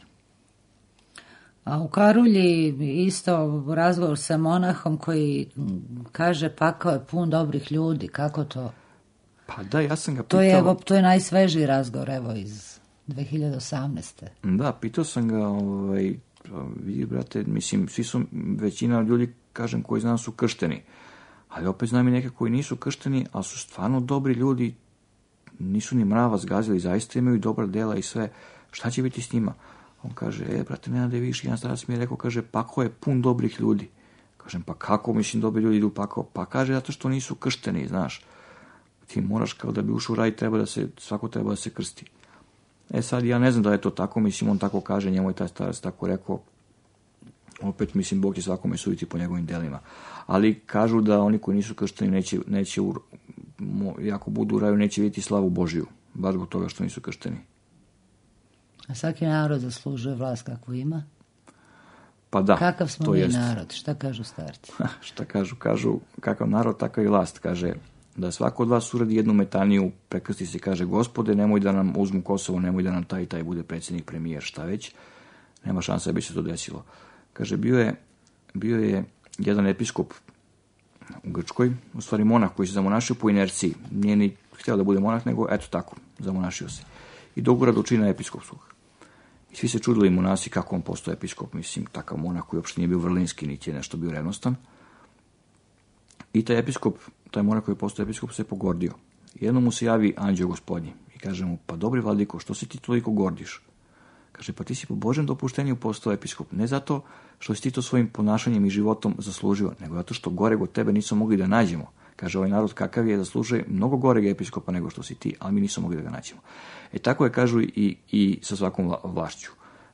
A u Karulji isto razgovor sa monahom koji kaže pakao je pun dobrih ljudi. Kako to? Pa da, ja sam ga pitao... To je, evo, to je najsvežiji razgovor, evo, iz dve hiljade osamnaeste. Da, pitao sam ga, ovaj, vidi, brate, mislim, svi su, većina ljudi, kažem, koji znam su kršteni. Ali opet znam i neke koji nisu kršteni, ali su stvarno dobri ljudi, nisu ni mrava zgazili, zaista imaju dobra dela i sve. Šta će biti s njima? On kaže, e, brate, ne da je viš, jedan starac mi je rekao, kaže, pakao je pun dobrih ljudi. Kažem, pa kako, mislim, dobri ljudi idu pakao? Pa kaže, zato što nisu kršteni, znaš. Ti moraš, kao da bi ušao u raj, treba da se, svako treba da se krsti. E sad, ja ne znam da je to tako, mislim, on tako kaže, njemu je taj starac tako rekao. Opet, mislim, Bog će svakome suditi po njegovim delima. Ali kažu da oni koji nisu kršteni neće, neće u, ako budu u raju, neće vidjeti slavu Božiju. Baš zbog toga što nisu kršteni. A svaki narod zaslužuje vlast kakvu ima? Pa da, kakav smo to mi jest. narod? Šta kažu starci? Šta kažu? Kažu, kakav narod, takav i vlast. Kaže, da svako od vas uradi jednu metaniju, prekrsti se, kaže, Gospode, nemoj da nam uzmu Kosovo, nemoj da nam taj i taj bude predsjednik, premijer, šta već. Nema šanse da bi se to desilo. Kaže, bio je, bio je jedan episkop u Grčkoj, u stvari monah koji se zamonašio po inerciji. Nije ni htio da bude monah, nego eto tako, zamonašio se. I dogura do čina episkopskog. I svi se čudili monasi kako on postao episkop, mislim, takav monah koji uopšte nije bio vrlinski, niti je nešto bio revnostan. I taj episkop, taj monah koji je postao episkop, se pogordio. Jednom mu se javi anđeo Gospodnji i kaže mu, pa dobri vladiko, što se ti toliko gordiš? Kaže, pa ti si po Božjem dopuštenju postao episkop, ne zato što si ti to svojim ponašanjem i životom zaslužio, nego zato što goreg od tebe nismo mogli da nađemo. Kaže, ovaj narod kakav je, zaslužuje mnogo goreg episkopa nego što si ti, ali mi nismo mogli da ga nađemo. E tako je, kažu, i, i sa svakom vlašću.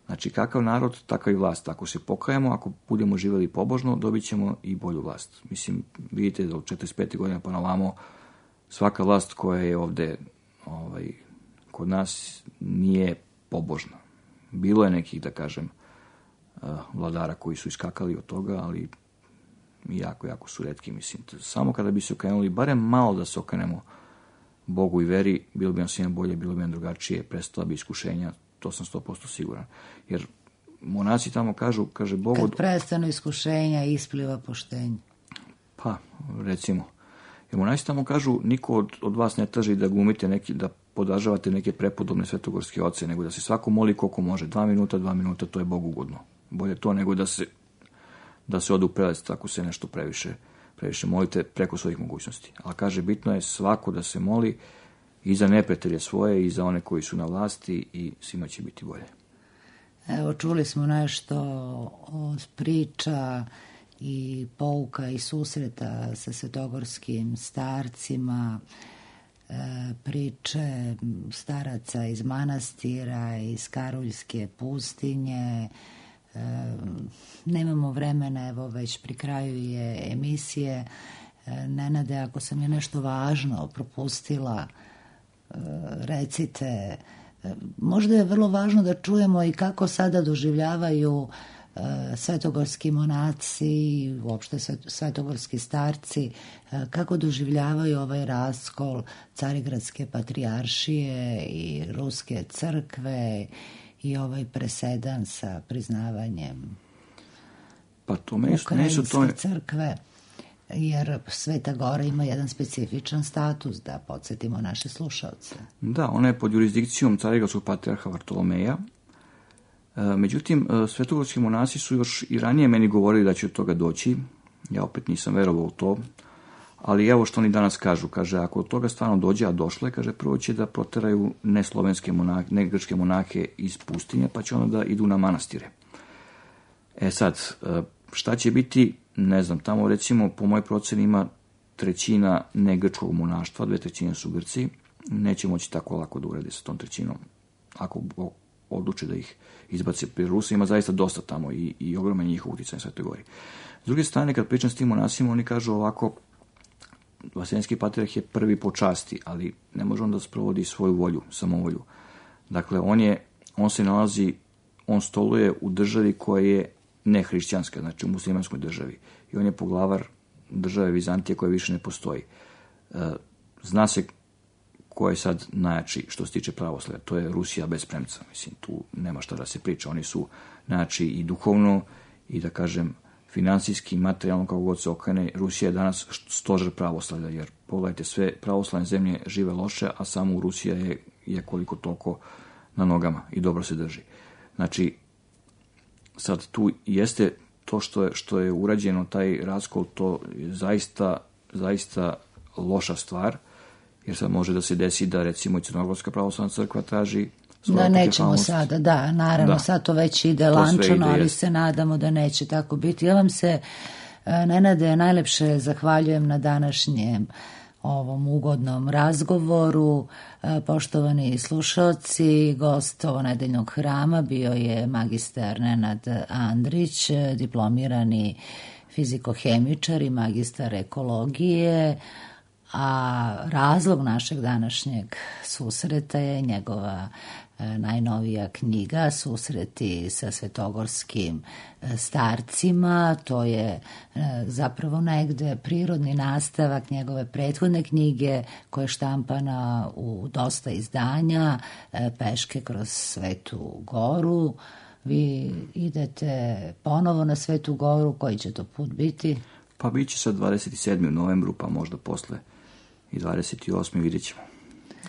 Znači, kakav narod, takav i vlast. Ako se pokajemo, ako budemo živjeli pobožno, dobit ćemo i bolju vlast. Mislim, vidite da od četrdeset pete godine pa na ovamo, svaka vlast koja je ovde ovaj, kod nas nije pobožna. Bilo je nekih, da kažem, vladara koji su iskakali od toga, ali jako, jako su retki, mislim. Samo kada bi se okrenuli, barem malo da se okrenemo Bogu i veri, bilo bi nam svima bolje, bilo bi nam drugačije, prestala bi iskušenja, to sam sto posto siguran. Jer monaci tamo kažu, kaže Bog... Kad prestanu iskušenja, ispliva poštenje. Pa, recimo. Jer monaci tamo kažu, niko od, od vas ne traži da glumite neki, da podržavate neke prepodobne svetogorske oce, nego da se svako moli koliko može. Dva minuta, dva minuta, to je Bogu ugodno. Bolje to nego da se da se ode u prelest, ako se nešto previše, previše molite preko svojih mogućnosti. Ali kaže, bitno je svako da se moli i za neprijatelje svoje i za one koji su na vlasti i svima će biti bolje. Evo, čuli smo nešto od priča i pouka i susreta sa svetogorskim starcima, priče staraca iz manastira, iz Karuljske pustinje. Nemamo vremena, evo već pri kraju je emisije. Nenade, ako sam je nešto važno propustila, recite. Možda je vrlo važno da čujemo i kako sada doživljavaju svetogorski monaci i uopšte svetogorski starci, kako doživljavaju ovaj raskol Carigradske patrijaršije i Ruske crkve i ovaj presedan sa priznavanjem pa to meni, Ukrajinske to... crkve, jer Sveta Gora ima jedan specifičan status, da podsjetimo naše slušalce. Da, ona je pod jurisdikcijom Carigradskog patrijarha Vartolomeja. Međutim, svetogorski monasi su još i ranije meni govorili da će od toga doći. Ja opet nisam verovao u to, ali evo što oni danas kažu, kaže, ako od toga stvarno dođe, a došlo je, kaže, prvo će da proteraju ne slovenske monahe, ne grčke monahe iz pustinje, pa će onda da idu na manastire. E sad, šta će biti, ne znam, tamo recimo, po mojoj proceni ima trećina ne grčkog monaštva, dve trećine su Grci, neće moći tako lako da urede sa tom trećinom, ako odluče da ih izbace pri Rusa, ima zaista dosta tamo i, i ogroman njihov uticaj na Svetoj Gori. S druge strane, kad pričam s tim monasima, oni kažu ovako, Vaseljenski patrijarh je prvi po časti, ali ne može on da sprovodi svoju volju, samovolju. Dakle, on je, on se nalazi, on stoluje u državi koja je nehrišćanska, znači u muslimanskoj državi. I on je poglavar države Vizantije koja više ne postoji. Zna se ko je sad najjači što se tiče pravoslavlja, to je Rusija bez premca. Mislim, tu nema šta da se priča. Oni su najjači i duhovno i da kažem finansijski, materijalno, kako god se okrene. Rusija je danas stožer pravoslavlja, jer pogledajte, sve pravoslavne zemlje žive loše, a samo Rusija je, je koliko toliko na nogama i dobro se drži. Znači, sad tu jeste to što je, što je urađeno, taj raskol, to je zaista, zaista loša stvar, jer sad može da se desi da recimo i Crnogorska pravoslavna crkva traži da nećemo sada, da, naravno, da. Sad to već ide to lančano, ali jest. Se nadamo da neće tako biti. Ja vam se, Nenade, najlepše zahvaljujem na današnjem ovom ugodnom razgovoru. Poštovani slušalci, gost ovonedeljnog hrama bio je magistar Nenad Andrić, diplomirani fizikohemičar i magistar ekologije, a razlog našeg današnjeg susreta je njegova najnovija knjiga Susreti sa svetogorskim starcima. To je zapravo negde prirodni nastavak njegove prethodne knjige koja je štampana u dosta izdanja, Peške kroz Svetu Goru. Vi idete ponovo na Svetu Goru, koji će to put biti? Pa bit će sad dvadeset sedmog novembru, pa možda posle i dvadeset osmog vidjet ćemo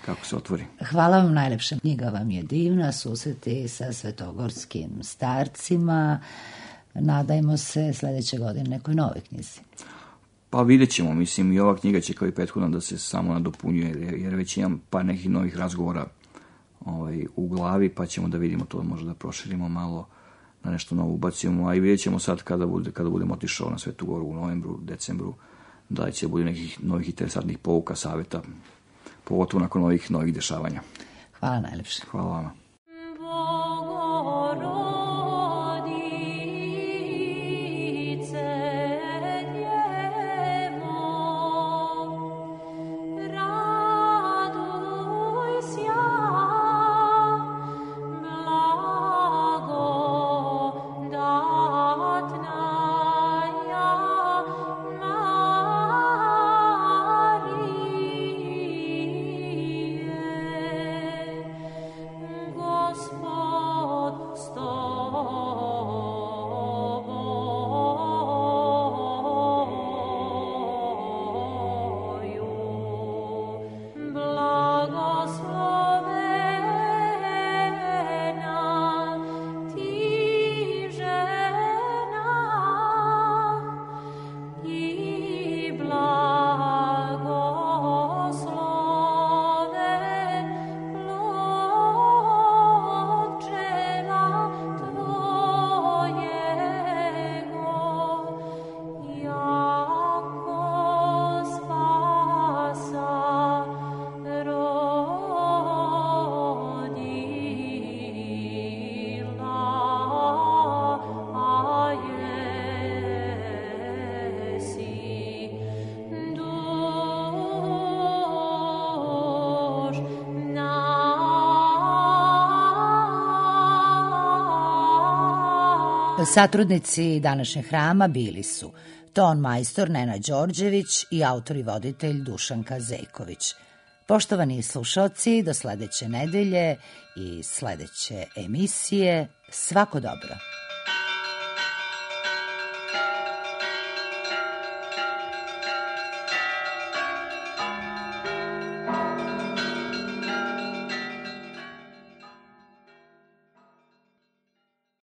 kako se otvori. Hvala vam najlepša. Knjiga vam je divna, Susreti sa svetogorskim starcima. Nadajmo se sledeće godine nekoj novoj knjizi. Pa vidjet ćemo, mislim, i ova knjiga će kao i prethodna da se samo nadopunjuje, jer već imam par nekih novih razgovora ovaj, u glavi, pa ćemo da vidimo to, možda da proširimo malo, na nešto novo ubacimo, a i vidjet ćemo sad kada, bude, kada budemo otišao na Svetu Goru u novembru, decembru, da će bude nekih novih interesantnih pouka, savjeta, pogotovo nakon ovih novih dešavanja. Hvala najlepše. Hvala vama. Satrudnici današnjeg hrama bili su ton majstor Nenad Đorđević i autor i voditelj Dušanka Zejković. Poštovani slušalci, do sledeće nedelje i sledeće emisije, svako dobro.